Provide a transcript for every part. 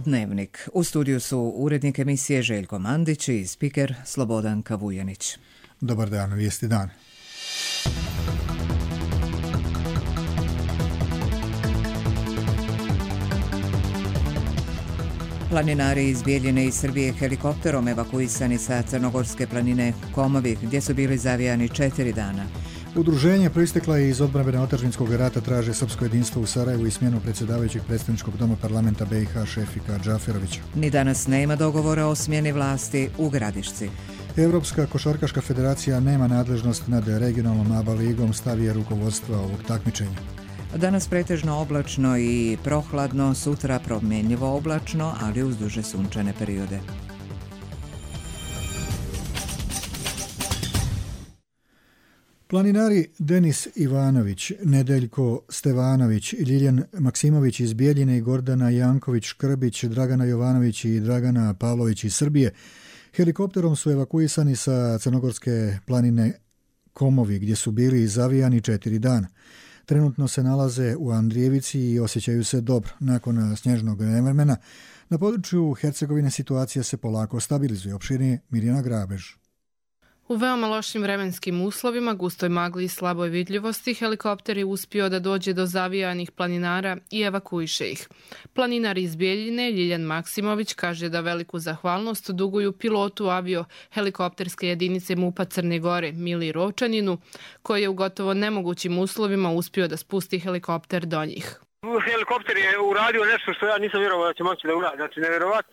Dnevnik. U studiju su urednik emisije Željko Mandić i spiker Slobodan Kavujanić. Dobar dan, vijesti dan. Planinari iz Bijeljine i Srbije helikopterom evakuisani sa crnogorske planine Komovi, gdje su bili zavijani 4 dana. Udruženje proistekla je iz odbrane otadžbinskog rata, traže srpsko jedinstvo u Sarajevu i smjenu predsjedavajućeg predstavničkog doma parlamenta BiH Šefika Džaferovića. Ni danas nema dogovora o smjeni vlasti u Gradišci. Europska košarkaška federacija nema nadležnost nad regionalnom ABA ligom, stav je rukovodstva ovog takmičenja. Danas pretežno oblačno i prohladno, sutra promjenjivo oblačno, ali uz duže sunčane periode. Planinari Denis Ivanović, Nedeljko Stevanović, Ljiljan Maksimović iz Bijeljine i Gordana Janković-Škrbić, Dragana Jovanović i Dragana Pavlović iz Srbije helikopterom su evakuisani sa crnogorske planine Komovi, gdje su bili zavijani 4 dana. Trenutno se nalaze u Andrijevici i osjećaju se dobro. Nakon snježnog nevremena na području Hercegovine situacija se polako stabilizuje. Opširnije Mirjana Grabež. U veoma lošim vremenskim uslovima, gustoj magli i slaboj vidljivosti, helikopter je uspio da dođe do zavijanih planinara i evakuiše ih. Planinar iz Bijeljine, Ljiljan Maksimović, kaže da veliku zahvalnost duguju pilotu avio-helikopterske jedinice MUP-a Crne Gore, Mili Rovčaninu, koji je u gotovo nemogućim uslovima uspio da spusti helikopter do njih. Helikopter je uradio nešto što ja nisam vjerovao da će moći da uradi. Znači,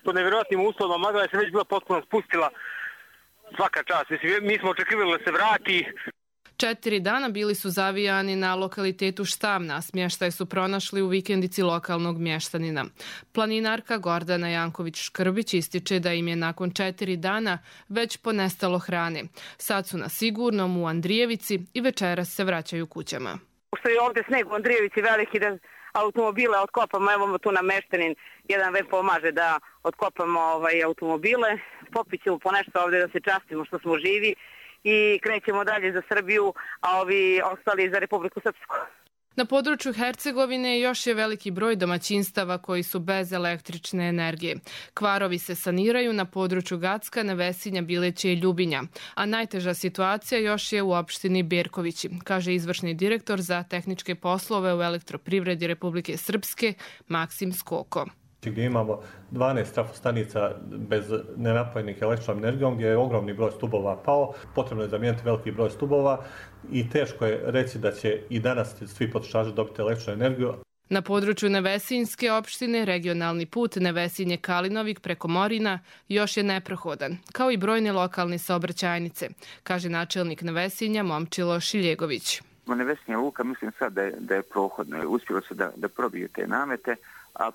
po nevjerovatnim uslovima magla je se već bila potpuno spustila. Svaka čast. Mi smo očekivali da se vrati. 4 dana bili su zavijani na lokalitetu Štamna, smještaj su pronašli u vikendici lokalnog mještanina. Planinarka Gordana Janković-Škrbić ističe da im je nakon 4 dana već ponestalo hrane. Sad su na sigurnom u Andrijevici i večeras se vraćaju kućama. Što je ovdje sneg u Andrijevici veliki da automobile otkopamo, evo tu nam meštanin jedan već pomaže da otkopamo automobile, popićemo po nešto ovdje da se častimo što smo živi i krećemo dalje za Srbiju, a ovi ostali za Republiku Srpsku. Na području Hercegovine još je veliki broj domaćinstava koji su bez električne energije. Kvarovi se saniraju na području Gacka, Nevesinja, Bileća i Ljubinja, a najteža situacija još je u opštini Berkovići, kaže izvršni direktor za tehničke poslove u elektroprivredi Republike Srpske Maksim Skoko. Gdje imamo 12 trafostanica bez nenapojenih električnom energijom, gdje je ogromni broj stubova pao, potrebno je zamijeniti veliki broj stubova i teško je reći da će i danas svi potrošači dobiti električnu energiju. Na području Nevesinjske opštine regionalni put Nevesinje-Kalinovik preko Morina još je neprohodan, kao i brojne lokalne saobraćajnice, kaže načelnik Nevesinja Momčilo Šiljegović. Nevesinja luka mislim sad da je prohodno, uspjelo se da probije te namete, a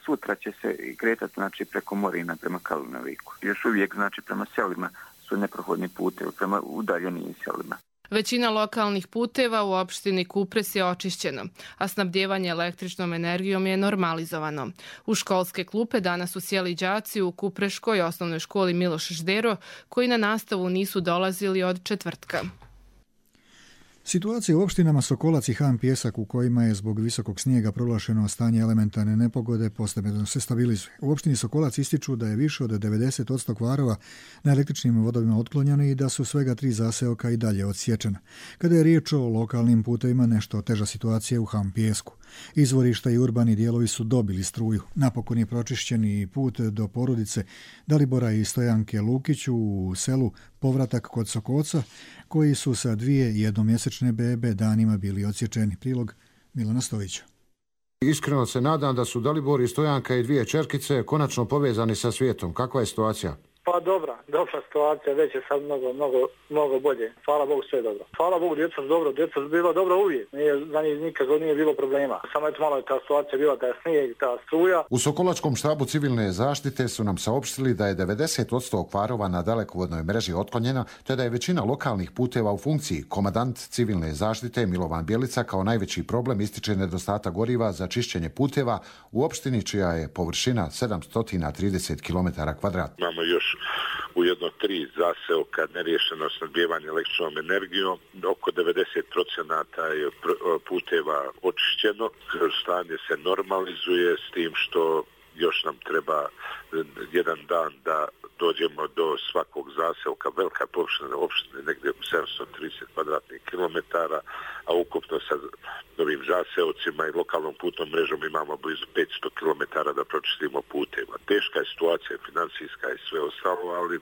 sutra će se kretati znači, preko Morina prema Kalinoviku. Još uvijek znači, prema selima su neprohodni putevi, prema udaljenim selima. Većina lokalnih puteva u opštini Kupres je očišćeno, a snabdjevanje električnom energijom je normalizovano. U školske klupe danas su sjeli đaci u Kupreškoj osnovnoj školi Miloš Ždero, koji na nastavu nisu dolazili od četvrtka. Situacija u opštinama Sokolac i Han Pjesak, u kojima je zbog visokog snijega proglašeno stanje elementarne nepogode, postepeno se stabilizuje. U opštini Sokolac ističu da je više od 90% kvarova na električnim vodovima otklonjeno i da su svega 3 zaseoka i dalje odsječena. Kada je riječ o lokalnim putevima, nešto teža situacija u Han Pjesku. Izvorišta i urbani dijelovi su dobili struju. Napokon je pročišćeni put do porodice Dalibora i Stojanke Lukić u selu Povratak kod Sokoca, koji su sa 2 jednomjesečne bebe danima bili odsječeni. Prilog Milana Stojića. Iskreno se nadam da su Dalibor i Stojanka i 2 čerkice konačno povezani sa svijetom. Kakva je situacija? Pa dobra situacija, već je sad mnogo bolje. Hvala Bogu, sve je dobro. Hvala Bogu, djeca su dobro, djeca su bila dobro uvijek. Za njih nikad nije bilo problema. Samo eto malo je ta situacija bila, ta snijeg, ta struja. U Sokolačkom štabu civilne zaštite su nam saopštili da je 90% kvarova na dalekovodnoj mreži otklonjena, te da je većina lokalnih puteva u funkciji. Komandant civilne zaštite Milovan Bjelica kao najveći problem ističe nedostatak goriva za čišćenje puteva u opštini čija je površina 730 km2. Imamo još u jedno 3 zaseoka neriješeno snabdijevanje električnom energijom. Oko 90% je puteva očišćeno. Stanje se normalizuje s tim što još nam treba jedan dan da dođemo do svakog zaseoka, velika površina opštine, negdje 730 kvadratnih kilometara, a ukupno sa novim zaseocima i lokalnom putnom mrežom imamo blizu 500 kilometara da pročistimo puteva. Teška je situacija, financijska i sve ostalo, ali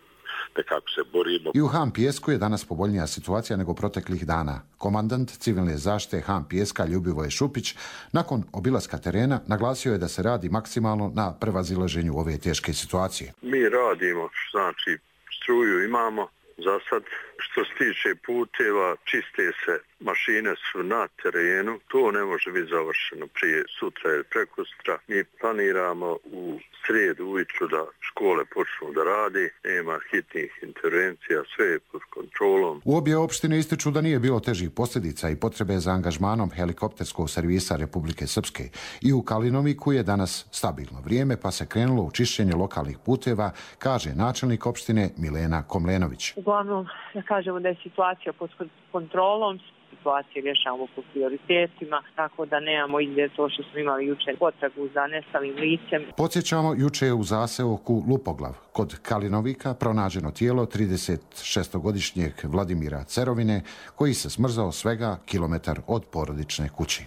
nekako se borimo. I u Han Pijesku je danas povoljnija situacija nego proteklih dana. Komandant civilne zaštite Han Pijeska Ljubivoje Šupić nakon obilaska terena naglasio je da se radi maksimalno na prevazilaženju ove teške situacije. Mi radimo, znači struju imamo za sad. Što se tiče puteva, čiste se, mašine su na terenu, to ne može biti završeno prije sutra ili prekosutra. Mi planiramo u srijedu ujutru da škole počnu da radi, nema hitnih intervencija, sve je pod kontrolom. U obje opštine ističu da nije bilo težih posljedica i potrebe za angažmanom helikopterskog servisa Republike Srpske. I u Kalinoviku je danas stabilno vrijeme, pa se krenulo u čišćenje lokalnih puteva, kaže načelnik opštine Milena Komlenović. Uglavnom, da kažemo da je situacija pod kontrolom, situacije rješavamo po prioritetima, tako da nemamo ide to što smo imali jučer potragu za nestalim licem. Podsjećamo, juče je u zaseoku Lupoglav kod Kalinovika pronađeno tijelo 36-godišnjeg Vladimira Cerovine, koji se smrzao svega kilometar od porodične kući.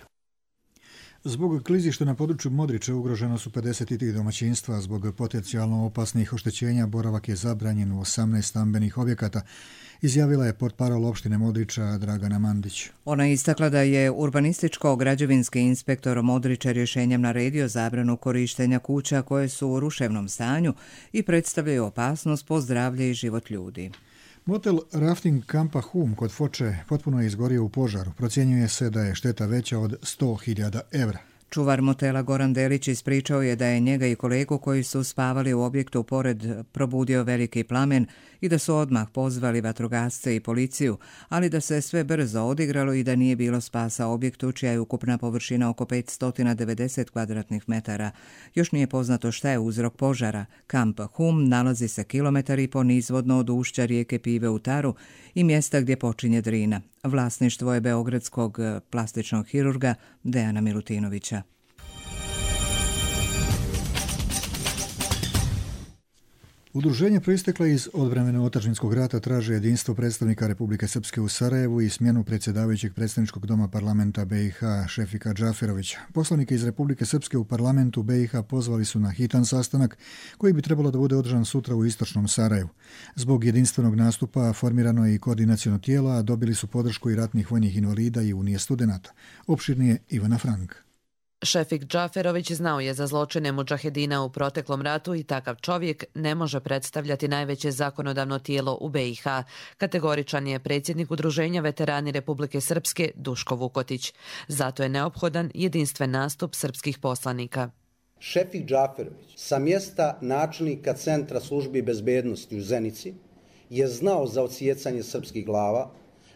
Zbog klizišta na području Modrića ugroženo su 53 domaćinstva. Zbog potencijalno opasnih oštećenja boravak je zabranjen u 18 stambenih objekata, izjavila je portparol opštine Modrića Dragana Mandić. Ona je istakla da je urbanističko-građevinski inspektor Modrića rješenjem naredio zabranu korištenja kuća koje su u ruševnom stanju i predstavljaju opasnost po zdravlje i život ljudi. Motel rafting kampa Hum kod Foče potpuno je izgorio u požaru. Procjenjuje se da je šteta veća od 100.000 evra. Čuvar motela Goran Delić ispričao je da je njega i kolegu koji su spavali u objektu pored probudio veliki plamen i da su odmah pozvali vatrogasce i policiju, ali da se sve brzo odigralo i da nije bilo spasa objektu čija je ukupna površina oko 590 kvadratnih metara. Još nije poznato šta je uzrok požara. Kamp Hum nalazi se kilometar i po nizvodno od ušća rijeke Pive u Taru i mjesta gdje počinje Drina. Vlasništvo je beogradskog plastičnog hirurga Dejana Milutinovića. Udruženje proistekla iz odbrambeno-otadžbinskog rata traže jedinstvo predstavnika Republike Srpske u Sarajevu i smjenu predsjedavajućeg predstavničkog doma parlamenta BiH Šefika Džaferovića. Poslanike iz Republike Srpske u parlamentu BiH pozvali su na hitan sastanak koji bi trebalo da bude održan sutra u istočnom Sarajevu. Zbog jedinstvenog nastupa formirano je i koordinaciono tijelo, a dobili su podršku i ratnih vojnih invalida i Unije studenata. Opširnije Ivana Frank. Šefik Džaferović znao je za zločine mudžahedina u proteklom ratu i takav čovjek ne može predstavljati najveće zakonodavno tijelo u BiH. Kategoričan je predsjednik Udruženja veterani Republike Srpske Duško Vukotić. Zato je neophodan jedinstven nastup srpskih poslanika. Šefik Džaferović sa mjesta načelnika Centra službi bezbednosti u Zenici je znao za odsjecanje srpskih glava,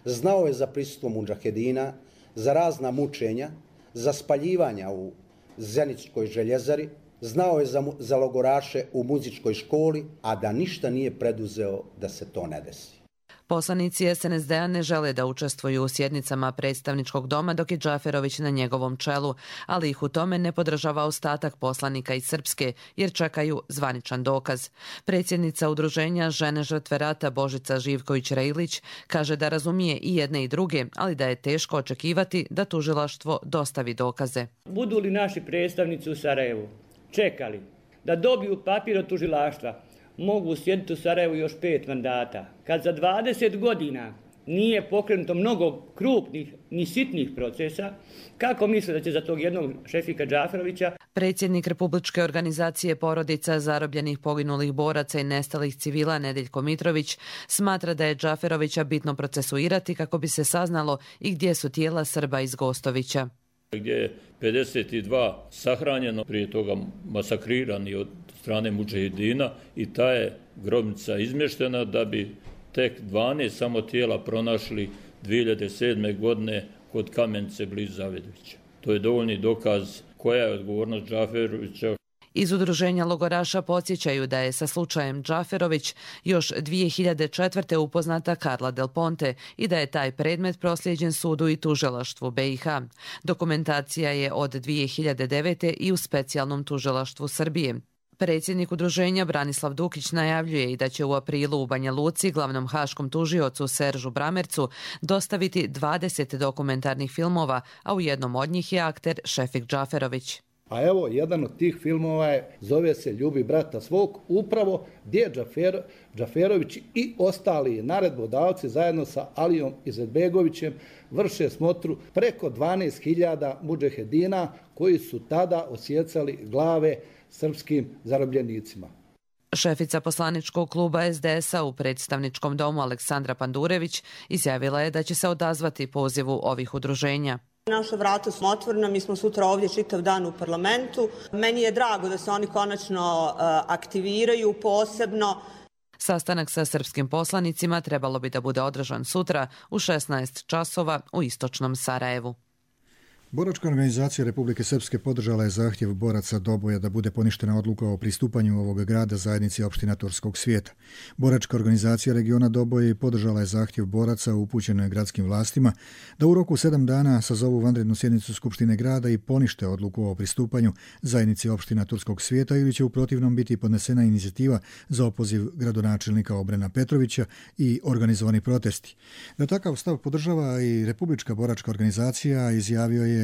znao je za prisustvo mudžahedina, za razna mučenja, za spaljivanja u Zeničkoj željezari, znao je za logoraše u muzičkoj školi, a da ništa nije preduzeo da se to ne desi. Poslanici SNSD-a ne žele da učestvuju u sjednicama predstavničkog doma dok je Džaferović na njegovom čelu, ali ih u tome ne podržava ostatak poslanika iz Srpske jer čekaju zvaničan dokaz. Predsjednica udruženja Žene žrtve rata Božica Živković-Rejlić kaže da razumije i jedne i druge, ali da je teško očekivati da tužilaštvo dostavi dokaze. Budu li naši predstavnici u Sarajevu čekali da dobiju papir od tužilaštva, mogu sjediti u Sarajevu još 5 mandata. Kad za 20 godina nije pokrenuto mnogo krupnih ni sitnih procesa, kako misle da će za tog jednog Šefika Džaferovića? Predsjednik Republičke organizacije porodica zarobljenih poginulih boraca i nestalih civila Nedeljko Mitrović smatra da je Džaferovića bitno procesuirati kako bi se saznalo i gdje su tijela Srba iz Gostovića. Gdje je 52 sahranjeno, prije toga masakrirani od strane mudžahedina i ta je grobnica izmještena da bi tek 12 samo tijela pronašli 2007. godine kod Kamenice blizu Zavedovića. To je dovoljni dokaz koja je odgovornost Džaferovića. Iz udruženja logoraša podsjećaju da je sa slučajem Džaferović još 2004. upoznata Carla Del Ponte i da je taj predmet proslijeđen sudu i tužilaštvu BiH. Dokumentacija je od 2009. i u specijalnom tužilaštvu Srbije. Predsjednik udruženja Branislav Dukić najavljuje i da će u aprilu u Banja Luci glavnom haškom tužiocu Seržu Bramercu dostaviti 20 dokumentarnih filmova, a u jednom od njih je akter Šefik Džaferović. A evo, jedan od tih filmova zove se Ljubi brata svog, upravo gdje Džaferović i ostali naredbodavci zajedno sa Alijom Izetbegovićem vrše smotru preko 12.000 mudžahedina koji su tada odsjecali glave srpskim zarobljenicima. Šefica poslaničkog kluba SDS-a u predstavničkom domu Aleksandra Pandurević izjavila je da će se odazvati pozivu ovih udruženja. Naša vrata su otvorena, mi smo sutra ovdje čitav dan u parlamentu. Meni je drago da se oni konačno aktiviraju posebno. Sastanak sa srpskim poslanicima trebalo bi da bude održan sutra u 16 časova u istočnom Sarajevu. Boračka organizacija Republike Srpske podržala je zahtjev boraca Doboja da bude poništena odluka o pristupanju ovog grada zajednici opština Turskog svijeta. Boračka organizacija regiona Doboj podržala je zahtjev boraca upućen gradskim vlastima da u roku 7 dana sazovu vanrednu sjednicu Skupštine grada i ponište odluku o pristupanju zajednici opština Turskog svijeta ili će u protivnom biti podnesena inicijativa za opoziv gradonačelnika Obrena Petrovića i organizovani protesti. Da takav stav podržava i Republička boračka organizacija, izjavio je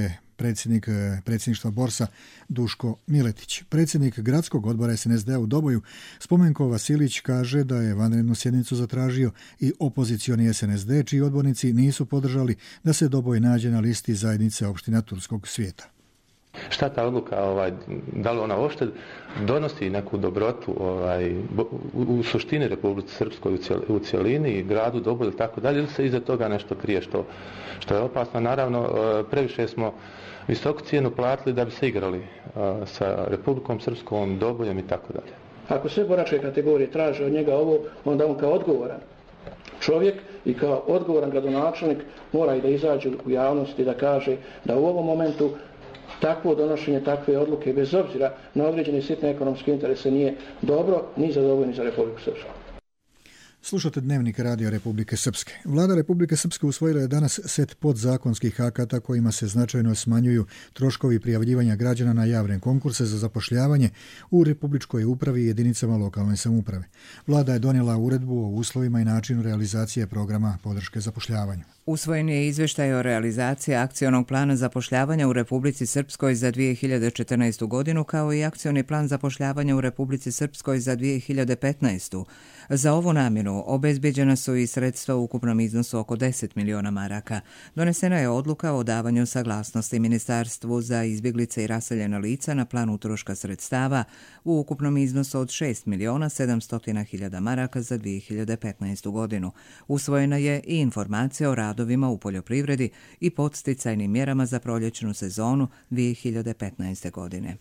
predsjedništva Borsa Duško Miletić. Predsjednik gradskog odbora SNSD u Doboju Spomenko Vasilić kaže da je vanrednu sjednicu zatražio i opozicioni SNSD, čiji odbornici nisu podržali da se Doboj nađe na listi zajednice opština Turskog svijeta. Šta ta odluka, da li ona uopšte donosi neku dobrotu u suštini Republike Srpskoj u cjelini i gradu Doboju ili tako dalje, ili se iza toga nešto krije što je opasno. Naravno, previše smo visoku cijenu platili da bi se igrali sa Republikom Srpskom, Dobojem i tako dalje. Ako sve boračke kategorije traže od njega ovo, onda on kao odgovoran čovjek i kao odgovoran gradonačelnik mora i da izađe u javnost i da kaže da u ovom momentu takvo donošenje takve odluke, bez obzira na određene sitne ekonomske interese, nije dobro ni za Doboj, ni za Republiku Srpsku. Slušate Dnevnik radija Republike Srpske. Vlada Republike Srpske usvojila je danas set podzakonskih akata kojima se značajno smanjuju troškovi prijavljivanja građana na javne konkurse za zapošljavanje u Republičkoj upravi i jedinicama lokalne samouprave. Vlada je donijela uredbu o uslovima i načinu realizacije programa podrške zapošljavanju. Usvojen je izvještaj o realizaciji akcionog plana zapošljavanja u Republici Srpskoj za 2014. godinu, kao i akcioni plan zapošljavanja u Republici Srpskoj za 2015. Za ovu namjenu obezbeđena su i sredstva u ukupnom iznosu oko 10 miliona maraka. Donesena je odluka o davanju saglasnosti Ministarstvu za izbjeglice i raseljena lica na plan utroška sredstava u ukupnom iznosu od 6 miliona 700 hiljada maraka za 2015. godinu. Usvojena je i informacija o radovima u poljoprivredi i podsticajnim mjerama za proljećnu sezonu 2015. godine.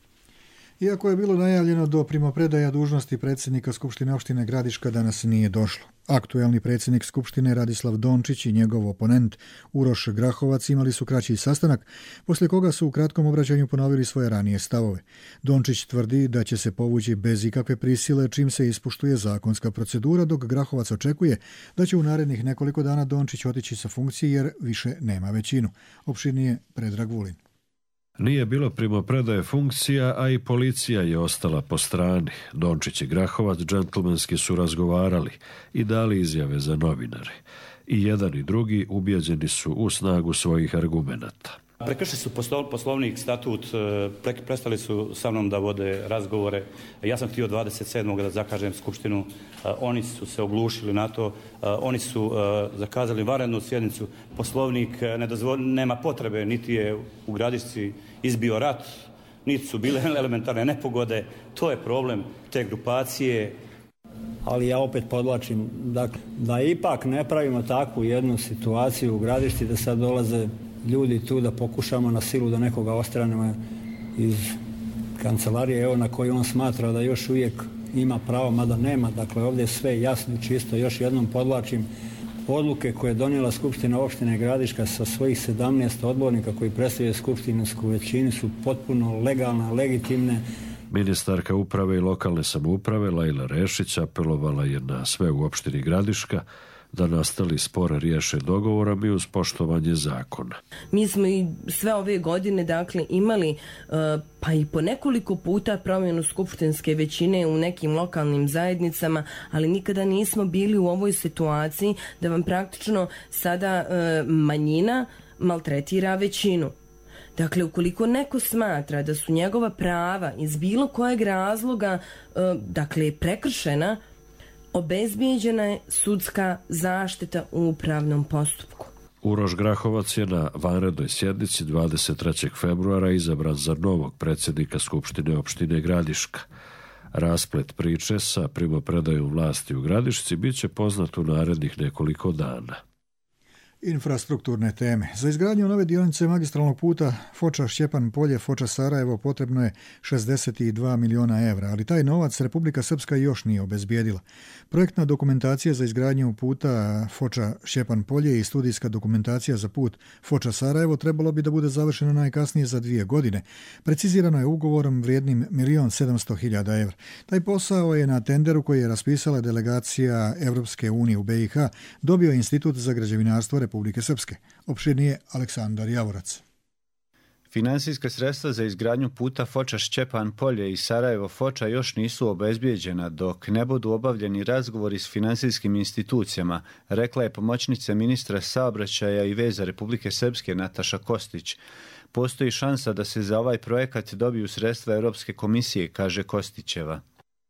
Iako je bilo najavljeno do primopredaja dužnosti predsjednika Skupštine opštine Gradiška, danas nije došlo. Aktuelni predsjednik Skupštine Radislav Dončić i njegov oponent Uroš Grahovac imali su kraći sastanak, poslije koga su u kratkom obraćanju ponovili svoje ranije stavove. Dončić tvrdi da će se povući bez ikakve prisile čim se ispoštuje zakonska procedura, dok Grahovac očekuje da će u narednih nekoliko dana Dončić otići sa funkcije jer više nema većinu. Opširnije Predrag Vulin. Nije bilo primopredaje funkcija, a i policija je ostala po strani. Dončić i Grahovac džentlmenski su razgovarali i dali izjave za novinare. I jedan i drugi ubijeđeni su u snagu svojih argumenata. Prekršili su poslovnik, statut, prestali su sa mnom da vode razgovore. Ja sam htio 27. da zakažem skupštinu, oni su se oglušili na to, oni su zakazali vanrednu sjednicu. Poslovnik nema potrebe, niti je u Gradišci izbio rat, niti su bile elementarne nepogode. To je problem te grupacije. Ali ja opet podlačim, dakle, da ipak ne pravimo takvu jednu situaciju u Gradišti da sad dolaze ljudi tu da pokušamo na silu da nekoga ostranemo iz kancelarije, evo na koju on smatra da još uvijek ima pravo, mada nema. Dakle, ovdje je sve jasno i čisto. Još jednom podlačim, odluke koje je donijela Skupština opštine Gradiška sa svojih 17 odbornika koji predstavljaju skupštinsku većinu su potpuno legalne, legitimne. Ministarka uprave i lokalne samouprave Lajla Rešić apelovala je na sve u opštini Gradiška da nastali spor riješe dogovorom i uz poštovanje zakona. Mi smo i sve ove godine imali pa i po nekoliko puta promjenu skupštinske većine u nekim lokalnim zajednicama, ali nikada nismo bili u ovoj situaciji da vam praktično sada manjina maltretira većinu. Dakle, ukoliko neko smatra da su njegova prava iz bilo kojeg razloga prekršena, obezbijeđena je sudska zaštita u upravnom postupku. Uroš Grahovac je na vanrednoj sjednici 23. februara izabran za novog predsjednika Skupštine opštine Gradiška. Rasplet priče sa primopredajom vlasti u Gradišci bit će poznat u narednih nekoliko dana. Infrastrukturne teme. Za izgradnju nove dionice magistralnog puta Foča-Šćepan Polje, Foča-Sarajevo potrebno je 62 miliona evra, ali taj novac Republika Srpska još nije obezbijedila. Projektna dokumentacija za izgradnju puta Foča-Šćepan Polje i studijska dokumentacija za put Foča-Sarajevo trebalo bi da bude završena najkasnije za 2 godine. Precizirano je ugovorom vrijednim 1.700.000 evra. Taj posao je na tenderu koji je raspisala delegacija Evropske unije u BiH dobio Institut za građevinarstvo Republike Srpske. Opširnije Aleksandar Javorac. Finansijska sredstva za izgradnju puta Foča-Šćepan Polje i Sarajevo-Foča još nisu obezbijeđena dok ne budu obavljeni razgovori s finansijskim institucijama, rekla je pomoćnica ministra saobraćaja i veza Republike Srpske Nataša Kostić. Postoji šansa da se za ovaj projekat dobiju sredstva Europske komisije, kaže Kostićeva.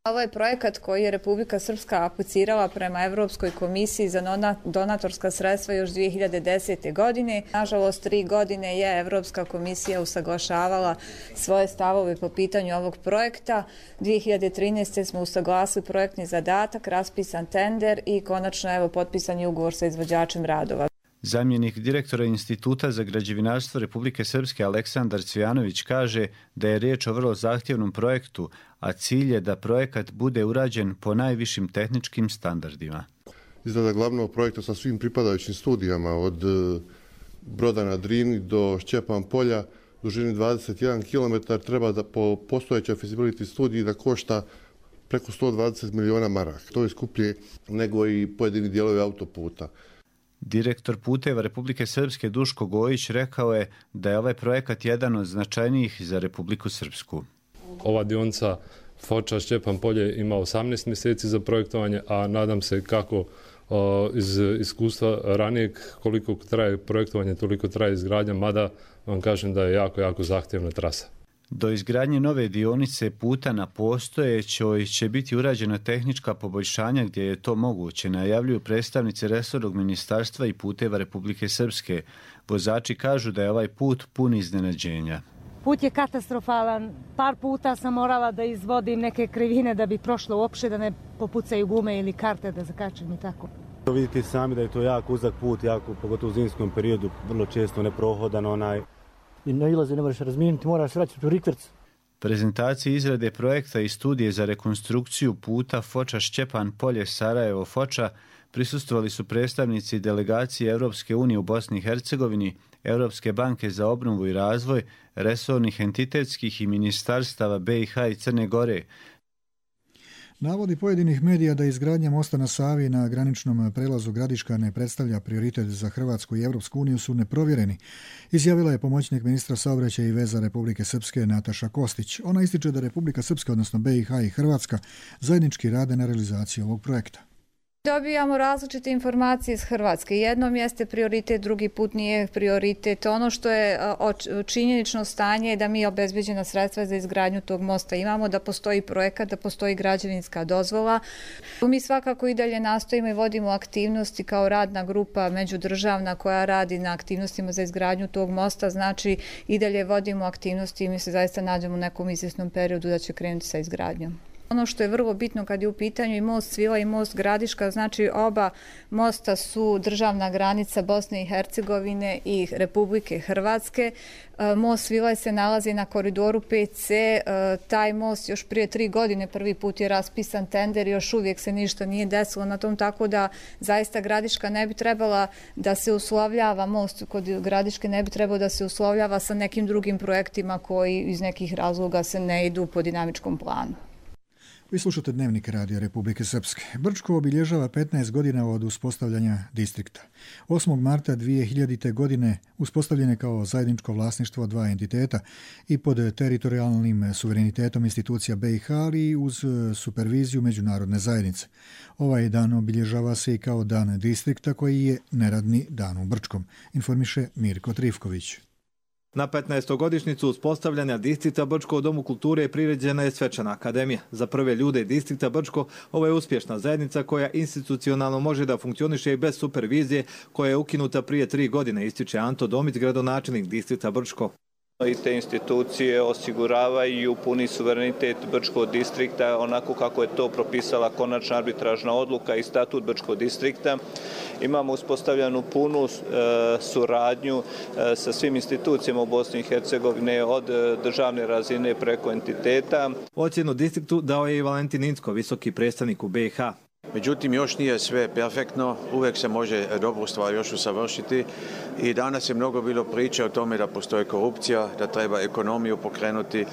Ovo je projekat koji je Republika Srpska aplicirala prema Evropskoj komisiji za donatorska sredstva još 2010. godine. Nažalost, 3 godine je Evropska komisija usaglašavala svoje stavove po pitanju ovog projekta. 2013. smo usaglasili projektni zadatak, raspisan tender i konačno potpisan je ugovor sa izvođačem radova. Zamjenik direktora Instituta za građevinarstvo Republike Srpske Aleksandar Cvijanović kaže da je riječ o vrlo zahtjevnom projektu, a cilj je da projekat bude urađen po najvišim tehničkim standardima. Izrada glavnog projekta sa svim pripadajućim studijama od Broda na Drini do Šćepan Polja dužini 21 km treba da po postojećoj feasibility studiji da košta preko 120 miliona maraka. To je skuplje nego i pojedini dijelovi autoputa. Direktor puteva Republike Srpske Duško Gojić rekao je da je ovaj projekat jedan od značajnijih za Republiku Srpsku. Ova dionica Foča-Šćepan Polje ima 18 mjeseci za projektovanje, a nadam se kako iz iskustva ranijeg koliko traje projektovanje, toliko traje izgradnja, mada vam kažem da je jako zahtjevna trasa. Do izgradnje nove dionice puta na postojećoj će biti urađena tehnička poboljšanja gdje je to moguće, najavljuju predstavnici resornog ministarstva i puteva Republike Srpske. Vozači kažu da je ovaj put pun iznenađenja. Put je katastrofalan. Par puta sam morala da izvodim neke krivine da bi prošlo uopšte, da ne popucaju gume ili karte da zakačem i tako. Vidite sami da je to jako uzak put, pogotovo u zimskom periodu, vrlo često neprohodan I na ilaze ne možeš razmijeniti, moraš vraćati u rikverc. Prezentaciji izrade projekta i studije za rekonstrukciju puta Foča-Šćepan Polje Sarajevo-Foča prisustvovali su predstavnici delegacije Europske unije u Bosni i Hercegovini, Europske banke za obnovu i razvoj, resornih entitetskih i ministarstava BiH i Crne Gore. Navodi pojedinih medija da izgradnja mosta na Savi na graničnom prelazu Gradiška ne predstavlja prioritet za Hrvatsku i Evropsku uniju su neprovjereni, izjavila je pomoćnik ministra saobraćaja i veza Republike Srpske Nataša Kostić. Ona ističe da Republika Srpska, odnosno BiH i Hrvatska, zajednički rade na realizaciji ovog projekta. Dobijamo različite informacije iz Hrvatske. Jednom jeste prioritet, drugi put nije prioritet. Ono što je činjenično stanje je da mi obezbeđena sredstva za izgradnju tog mosta imamo, da postoji projekat, da postoji građevinska dozvola. Mi svakako i dalje nastojimo i vodimo aktivnosti kao radna grupa međudržavna koja radi na aktivnostima za izgradnju tog mosta. Znači i dalje vodimo aktivnosti i mi se zaista nađemo u nekom izvjesnom periodu da će krenuti sa izgradnjom. Ono što je vrlo bitno kad je u pitanju i most Svila i most Gradiška, znači oba mosta su državna granica Bosne i Hercegovine i Republike Hrvatske. Most Svila se nalazi na koridoru 5C, taj most još prije 3 godine prvi put je raspisan tender, još uvijek se ništa nije desilo na tom, tako da zaista Gradiška ne bi trebala da se uslovljava, most kod Gradiške ne bi trebao da se uslovljava sa nekim drugim projektima koji iz nekih razloga se ne idu po dinamičkom planu. Vi slušate Dnevnik Radija Republike Srpske. Brčko obilježava 15 godina od uspostavljanja distrikta. 8. marta 2000. godine uspostavljen je kao zajedničko vlasništvo dva entiteta i pod teritorijalnim suverenitetom institucija BiH, ali uz superviziju međunarodne zajednice. Ovaj dan obilježava se i kao dan distrikta koji je neradni dan u Brčkom, informiše Mirko Trifković. Na 15. godišnjicu uspostavljanja distrikta Brčko u Domu kulture priređena je svečana akademija. Za prve ljude distrikta Brčko ovo je uspješna zajednica koja institucionalno može da funkcioniše i bez supervizije koja je ukinuta prije 3 godine, ističe Anto Domić, gradonačelnik distrikta Brčko. I te institucije osiguravaju puni suverenitet Brčkog distrikta onako kako je to propisala konačna arbitražna odluka i statut Brčkog distrikta. Imamo uspostavljenu punu suradnju sa svim institucijama u Bosni i Hercegovine od državne razine preko entiteta. Ocjenu distriktu dao je i Valentin Incko, visoki predstavnik u BiH. Međutim, još nije sve perfektno, uvijek se može dobru stvar još usavršiti i danas je mnogo bilo priče o tome da postoji korupcija, da treba ekonomiju pokrenuti.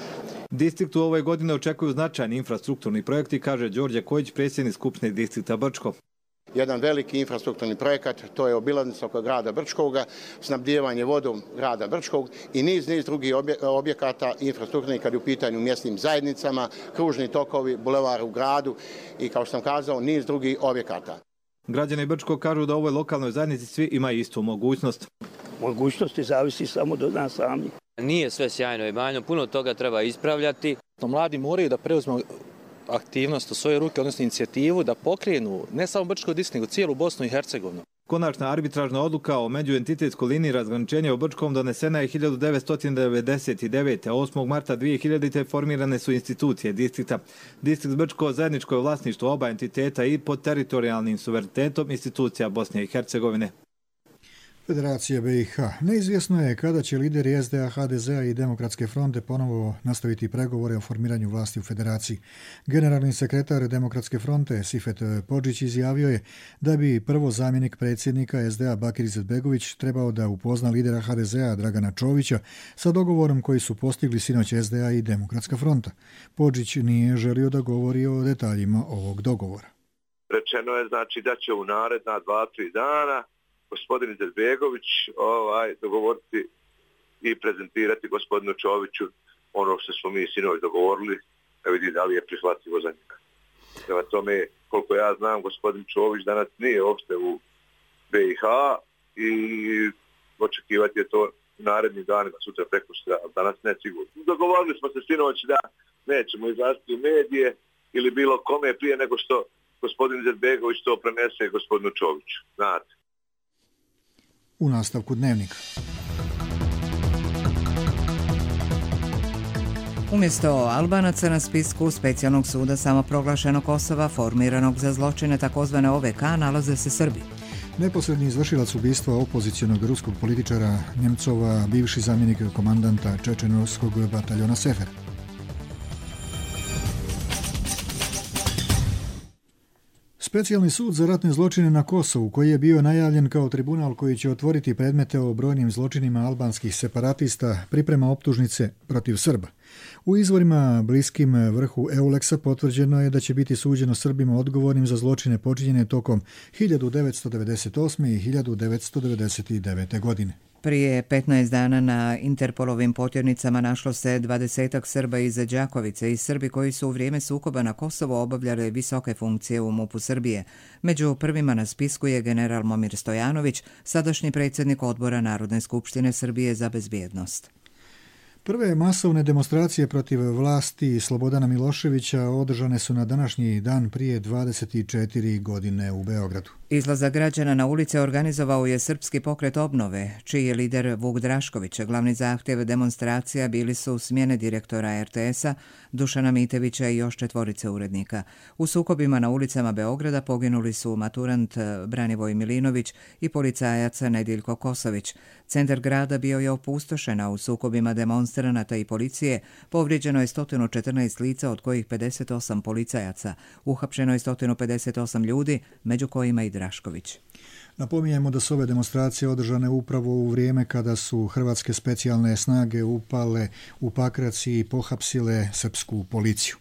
Distrikt u ovoj godine očekuju značajni infrastrukturni projekti, kaže Đorđe Kojić, predsjednik Skupštine distrikta Brčko. Jedan veliki infrastrukturni projekat, to je obilaznica oko grada Brčkoga, snabdijevanje vodom grada Brčkog i niz drugih objekata infrastrukturnih kad je u pitanju mjesnim zajednicama, kružni tokovi, bulevar u gradu i kao što sam kazao, niz drugih objekata. Građani Brčkog kažu da u ovoj lokalnoj zajednici svi imaju istu mogućnost. Mogućnosti zavisi samo do nas sami. Nije sve sjajno i bajno, puno toga treba ispravljati. Mladi moraju da preuzmu aktivnost u svoje ruke, odnosno inicijativu da pokrenu ne samo Brčko distrikt, nego cijelu Bosnu i Hercegovinu. Konačna arbitražna odluka o međuentitetskoj liniji razgraničenja u Brčkom donesena je 1999. 8. marta 2000. formirane su institucije distrikta. Distrikt Brčko zajedničko je vlasništvo oba entiteta i pod teritorijalnim suverenitetom institucija Bosne i Hercegovine. Federacija BiH. Neizvjesno je kada će lideri SDA, HDZ-a i Demokratske fronte ponovo nastaviti pregovore o formiranju vlasti u federaciji. Generalni sekretar Demokratske fronte Sifet Podžić izjavio je da bi prvo zamjenik predsjednika SDA Bakir Izetbegović trebao da upozna lidera HDZ-a Dragana Čovića sa dogovorom koji su postigli sinoć SDA i Demokratska fronta. Podžić nije želio da govori o detaljima ovog dogovora. Rečeno je znači da će u naredna 2-3 dana gospodin Izetbegović dogovoriti i prezentirati gospodinu Čoviću ono što smo mi sinoć dogovorili, da vidi da li je prihvatljivo za njega. Prema tome, koliko ja znam, gospodin Čović danas nije uopšte u BiH i očekivati je to narednih danima, sutra prekosutra, ali danas ne sigurno. Dogovorili smo se sinoć da nećemo izlaziti u medije ili bilo kome prije nego što gospodin Izetbegović to prenese gospodinu Čoviću. Znate. U nastavku Dnevnika. Umjesto Albanaca na spisku specijalnog suda samoproglašenog Kosova formiranog za zločine tzv. OVK nalaze se Srbi. Neposredni izvršilac ubistva opozicionog ruskog političara Nemcova, bivši zamjenik komandanta čečenovskog bataljona Sefer. Specijalni sud za ratne zločine na Kosovu, koji je bio najavljen kao tribunal koji će otvoriti predmete o brojnim zločinima albanskih separatista, priprema optužnice protiv Srba. U izvorima bliskim vrhu Euleksa potvrđeno je da će biti suđeno Srbima odgovornim za zločine počinjene tokom 1998. i 1999. godine. Prije 15 dana na Interpolovim potjernicama našlo se 20-ak Srba iz Đakovice i Srbi koji su u vrijeme sukoba na Kosovo obavljali visoke funkcije u MUP-u Srbije. Među prvima na spisku je general Momir Stojanović, sadašnji predsjednik odbora Narodne skupštine Srbije za bezbjednost. Prve masovne demonstracije protiv vlasti Slobodana Miloševića održane su na današnji dan prije 24 godine u Beogradu. Izlazak građana na ulice organizovao je Srpski pokret obnove, čiji je lider Vuk Drašković. Glavni zahtjev demonstracija bili su smjene direktora RTS-a, Dušana Mitevića i još 4 urednika. U sukobima na ulicama Beograda poginuli su maturant Branivoj Milinović i policajac Nediljko Kosović. Centar grada bio je opustošen, a u sukobima demonstranata i policije povrijeđeno je 114 lica, od kojih 58 policajaca. Uhapšeno je 158 ljudi, među kojima i Drašković. Napominjemo da su ove demonstracije održane upravo u vrijeme kada su hrvatske specijalne snage upale u Pakrac i pohapsile srpsku policiju.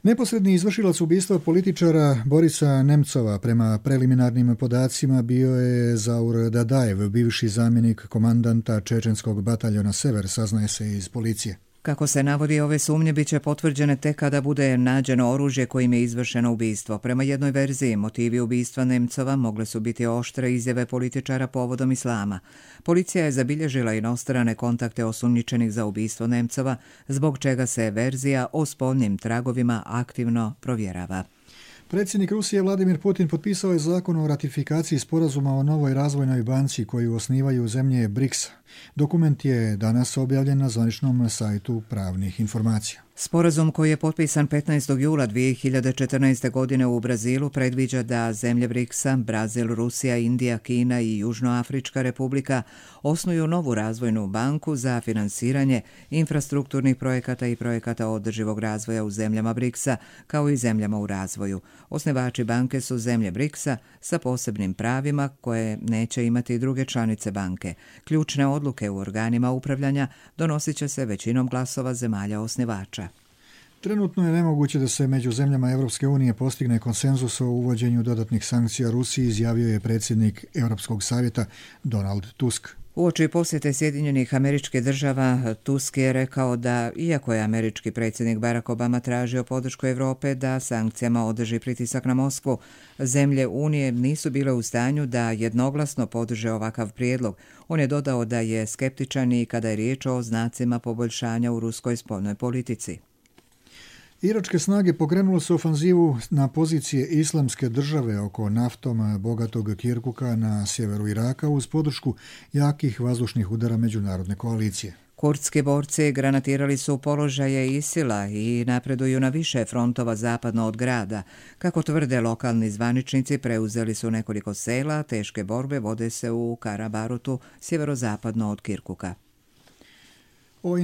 Neposredni izvršilac ubistva političara Borisa Nemcova prema preliminarnim podacima bio je Zaur Dadajev, bivši zamjenik komandanta čečenskog bataljona Sever, saznaje se iz policije. Kako se navodi, ove sumnje bit će potvrđene tek kada bude nađeno oružje kojim je izvršeno ubistvo. Prema jednoj verziji, motivi ubistva Nemcova mogle su biti oštre izjave političara povodom islama. Policija je zabilježila inostrane kontakte osumnjičenih za ubistvo Nemcova, zbog čega se verzija o spoljnim tragovima aktivno provjerava. Predsjednik Rusije Vladimir Putin potpisao je zakon o ratifikaciji sporazuma o novoj razvojnoj banci koju osnivaju zemlje BRICS-a. Dokument je danas objavljen na zvaničnom sajtu Pravnih informacija. Sporazum koji je potpisan 15. jula 2014. godine u Brazilu predviđa da zemlje BRICS-a, Brazil, Rusija, Indija, Kina i Južnoafrička republika osnuju novu razvojnu banku za finansiranje infrastrukturnih projekata i projekata održivog razvoja u zemljama BRICS-a, kao i zemljama u razvoju. Osnivači banke su zemlje BRICS-a sa posebnim pravima koje neće imati druge članice banke. Ključne odluke u organima upravljanja donosit će se većinom glasova zemalja osnivača. Trenutno je nemoguće da se među zemljama Europske unije postigne konsenzus o uvođenju dodatnih sankcija Rusiji, izjavio je predsjednik Europskog savjeta Donald Tusk. Uoči posjete Sjedinjenih Američkih Država, Tusk je rekao da, iako je američki predsjednik Barack Obama tražio podršku Europe da sankcijama održi pritisak na Moskvu, zemlje Unije nisu bile u stanju da jednoglasno podrže ovakav prijedlog. On je dodao da je skeptičan i kada je riječ o znacima poboljšanja u ruskoj spoljnoj politici. Iračke snage pokrenule su ofanzivu na pozicije Islamske države oko naftom bogatog Kirkuka na sjeveru Iraka uz podršku jakih vazdušnih udara međunarodne koalicije. Kurdski borci granatirali su položaje ISIL-a i napreduju na više frontova zapadno od grada. Kako tvrde lokalni zvaničnici, preuzeli su nekoliko sela, teške borbe vode se u Karabarutu, sjeverozapadno od Kirkuka. O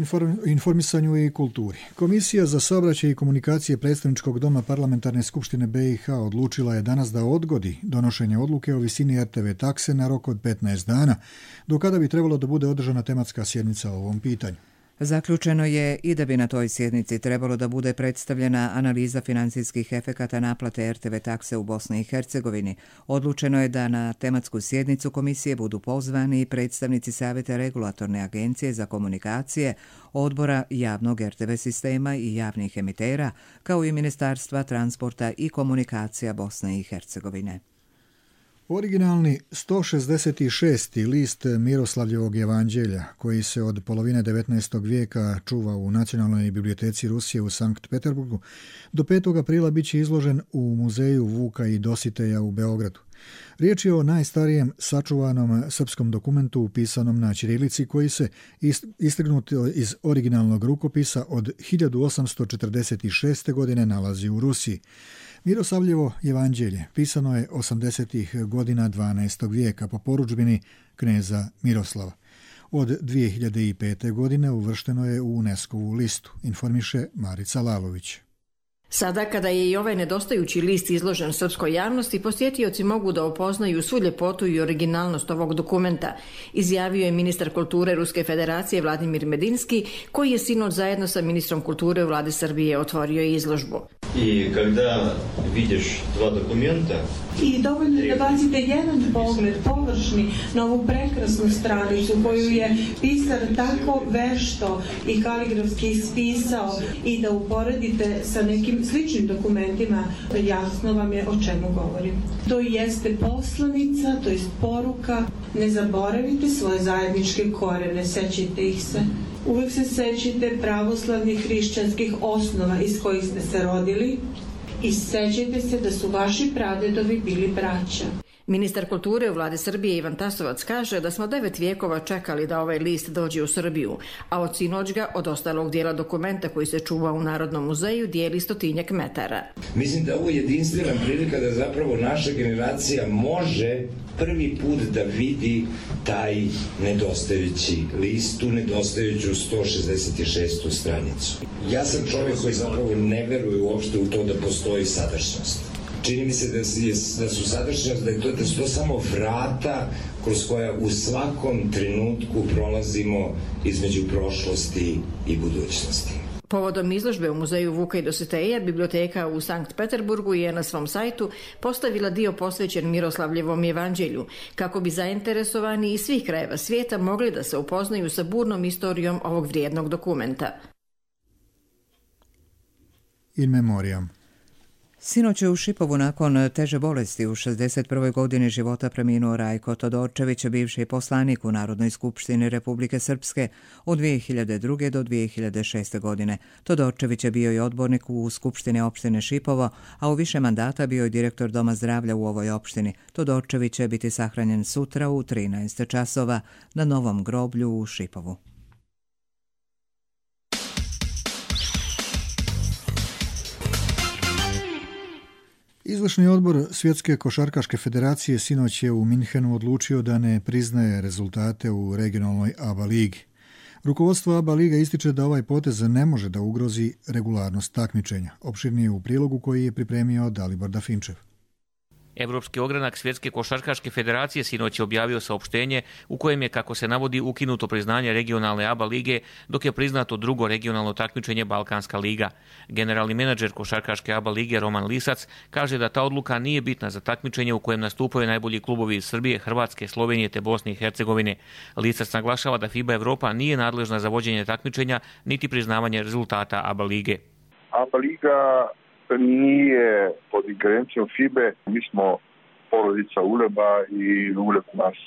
informisanju i kulturi. Komisija za saobraćaj i komunikacije Predstavničkog doma Parlamentarne skupštine BiH odlučila je danas da odgodi donošenje odluke o visini RTV takse na rok od 15 dana, do kada bi trebalo da bude održana tematska sjednica o ovom pitanju. Zaključeno je i da bi na toj sjednici trebalo da bude predstavljena analiza financijskih efekata naplate RTV takse u Bosni i Hercegovini. Odlučeno je da na tematsku sjednicu komisije budu pozvani predstavnici Savjeta regulatorne agencije za komunikacije, odbora javnog RTV sistema i javnih emitera, kao i Ministarstva transporta i komunikacija Bosne i Hercegovine. Originalni 166. list Miroslavljevog evanđelja, koji se od polovine 19. vijeka čuva u Nacionalnoj biblioteci Rusije u Sankt Peterburgu, do 5. aprila bit će izložen u muzeju Vuka i Dositeja u Beogradu. Riječ je o najstarijem sačuvanom srpskom dokumentu upisanom na ćirilici koji se istrgnut iz originalnog rukopisa od 1846. godine nalazi u Rusiji. Miroslavljevo evanđelje pisano je 80. godina 12. vijeka po porudžbini kneza Miroslava. Od 2005. godine uvršteno je u UNESCO-vu listu, informiše Marica Lalović. Sada, kada je i ovaj nedostajući list izložen srpskoj javnosti, posjetioci mogu da upoznaju svu ljepotu i originalnost ovog dokumenta, izjavio je ministar kulture Ruske federacije Vladimir Medinski, koji je sinoć zajedno sa ministrom kulture u vladi Srbije otvorio izložbu. I kada vidiš dva dokumenta, i dovoljno je da bacite jedan pogled površni na ovu prekrasnu stranicu koju je pisar tako vešto i kaligrafski ispisao i da uporedite sa nekim sličnim dokumentima, jasno vam je o čemu govorim. To jeste poslanica, to jest poruka, ne zaboravite svoje zajedničke korene, sećajte ih se. uvek se sećite pravoslavnih hrišćanskih osnova iz kojih ste se rodili i sećajte se da su vaši pradedovi bili braća. Ministar kulture u vladi Srbije Ivan Tasovac kaže da smo 9 vijekova čekali da ovaj list dođe u Srbiju, a od sinoć ga od ostalog dijela dokumenta koji se čuva u Narodnom muzeju dijeli 100 metara. Mislim da ovo je jedinstvena prilika da zapravo naša generacija može prvi put da vidi taj nedostajući list, tu nedostajuću 166. stranicu. Ja sam čovjek koji zapravo ne veruje uopšte u to da postoji sadašnjost. Čini mi se da su sadašnjost, da su to samo vrata kroz koja u svakom trenutku prolazimo između prošlosti i budućnosti. Povodom izložbe u muzeju Vuka i Dositeja, biblioteka u Sankt Peterburgu je na svom sajtu postavila dio posvećen Miroslavljevom evanđelju, kako bi zainteresovani iz svih krajeva svijeta mogli da se upoznaju sa burnom istorijom ovog vrijednog dokumenta. In memoriam. Sinoć je u Šipovu nakon teže bolesti u 61. godini života preminuo Rajko Todorčević, bivši poslanik u Narodnoj skupštini Republike Srpske od 2002. do 2006. godine. Todorčević je bio i odbornik u Skupštini opštine Šipovo, a u više mandata bio i direktor Doma zdravlja u ovoj opštini. Todorčević će biti sahranjen sutra u 13 časova na novom groblju u Šipovu. Izvršni odbor Svjetske košarkaške federacije sinoć je u Minhenu odlučio da ne priznaje rezultate u regionalnoj ABA ligi. Rukovodstvo ABA liga ističe da ovaj potez ne može da ugrozi regularnost takmičenja. Opširnije u prilogu koji je pripremio Dalibor Dafinčev. Evropski ogranak Svjetske košarkaške federacije sinoć je objavio saopštenje u kojem je, kako se navodi, ukinuto priznanje regionalne ABA lige, dok je priznato drugo regionalno takmičenje Balkanska liga. Generalni menadžer košarkaške ABA lige Roman Lisac kaže da ta odluka nije bitna za takmičenje u kojem nastupaju najbolji klubovi iz Srbije, Hrvatske, Slovenije te Bosne i Hercegovine. Lisac naglašava da FIBA Evropa nije nadležna za vođenje takmičenja niti priznavanje rezultata ABA lige. ABA liga nije pod ingerencijom FIBE. Mi smo porodica Uleba i Uleb nas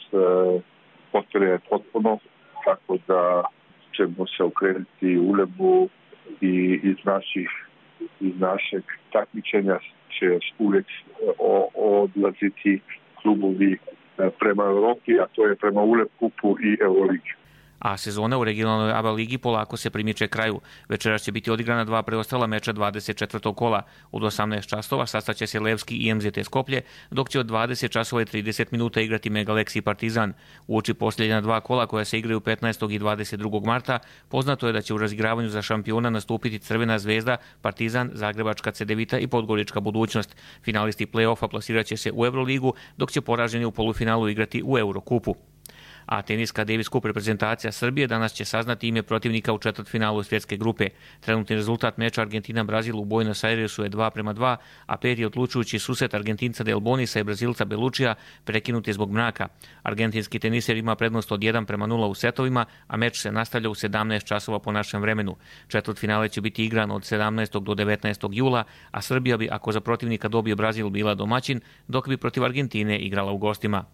potvrje potpuno, tako da ćemo se okrenuti Ulebu i iz našeg takmičenja će uvijek odlaziti klubovi prema Europi, a to je prema Uleb kupu i Euroligi. A sezona u regionalnoj ABA ligi polako se primiče kraju. Večeras će biti odigrana 2 preostala meča 24. kola. Od 18 časova sastaće se Levski i MZT Skoplje, dok će od 20 časova i 30 minuta igrati Megalex i Partizan. Uoči posljednja 2 kola koja se igraju 15. i 22. marta, poznato je da će u razigravanju za šampiona nastupiti Crvena zvezda, Partizan, Zagrebačka Cedevita i Podgorička budućnost. Finalisti play-offa plasirat će se u Euroligu, dok će poraženi u polufinalu igrati u Eurokupu. A teniska Davis Cup reprezentacija Srbije danas će saznati ime protivnika u četvrtfinalu svjetske grupe. Trenutni rezultat meča Argentina-Brazil u Buenos Airesu je 2:2, a peti odlučujući susret Argentinca Del Bonisa i Brazilca Belučija prekinut je zbog mraka. Argentinski teniser ima prednost od 1:0 u setovima, a meč se nastavlja u 17 časova po našem vremenu. Četvrtfinale će biti igran od 17. do 19. jula, a Srbija bi, ako za protivnika dobije Brazil, bila domaćin, dok bi protiv Argentine igrala u gostima.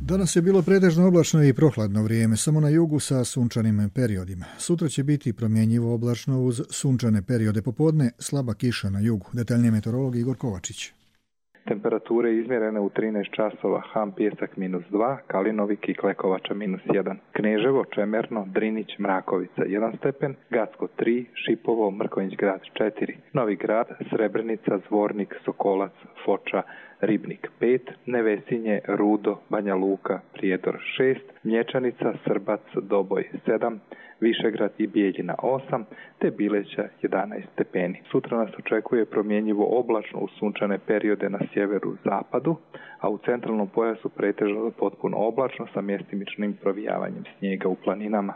Danas je bilo pretežno oblačno i prohladno vrijeme, samo na jugu sa sunčanim periodima. Sutra će biti promjenjivo oblačno uz sunčane periode popodne, slaba kiša na jugu. Detaljnije meteorolog Igor Kovačić. Temperature izmjerene u 13 časova, Ham Pijesak -2, Kalinovik i Klekovača -1, Kneževo, Čemerno, Drinić, Mrakovica 1 stepen, Gacko 3, Šipovo, Mrkonjić Grad 4, Novi Grad, Srebrenica, Zvornik, Sokolac, Foča, Ribnik 5, Nevesinje, Rudo, Banja Luka, Prijedor 6, Mlječanica, Srbac, Doboj 7, Višegrad i Bijeljina 8, te Bileća 11 stepeni. Sutra nas očekuje promjenjivo oblačno uz sunčane periode na sjeveru zapadu, a u centralnom pojasu pretežno potpuno oblačno sa mjestimičnim provijavanjem snijega u planinama.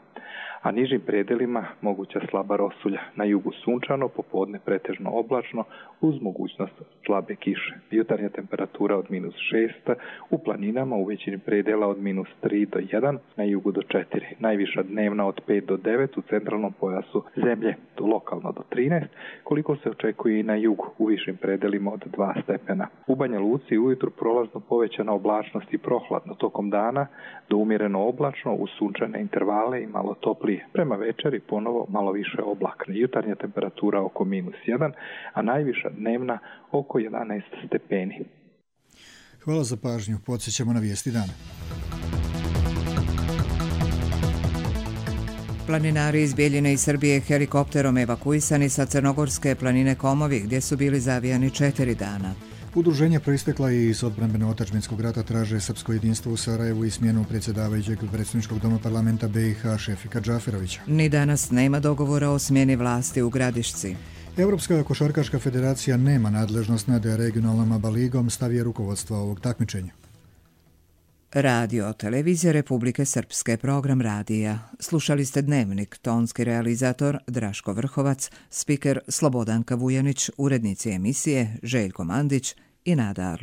a nižim predelima moguća slaba rosulja. Na jugu sunčano, popodne pretežno oblačno, uz mogućnost slabe kiše. Jutarnja temperatura od -6, u planinama u većini predela od -3 do 1, na jugu do 4. Najviša dnevna od 5 do 9 u centralnom pojasu zemlje, do lokalno do 13, koliko se očekuje i na jugu, u višim predelima od 2 stepena. U Banja Luci ujutru prolazno povećana oblačnost i prohladno, tokom dana do umjereno oblačno uz sunčane intervale i malo toplije. Prema večeri ponovo malo više oblaka. Jutarnja temperatura oko -1, a najviša dnevna oko 11 stepeni. Hvala za pažnju. Podsjećamo na vijesti dana. Planinari iz Bijeljine i Srbije helikopterom evakuisani sa crnogorske planine Komovi, gdje su bili zavijani 4 dana. Udruženje proistekla i iz odbrambeno otadžbinskog rata traže srpsko jedinstvo u Sarajevu i smjenu predsjedavajućeg predsjedničkog doma parlamenta BiH Šefika Džaferovića. Ni danas nema dogovora o smjeni vlasti u Gradišci. Europska košarkaška federacija nema nadležnost nad regionalnom ABA ligom, stav je rukovodstva ovog takmičenja. Radio Televizija Republike Srpske, program radija. Slušali ste Dnevnik, tonski realizator Draško Vrhovac, spiker Slobodanka Vujanić, urednici emisije Željko Mandić i Nada Arlić.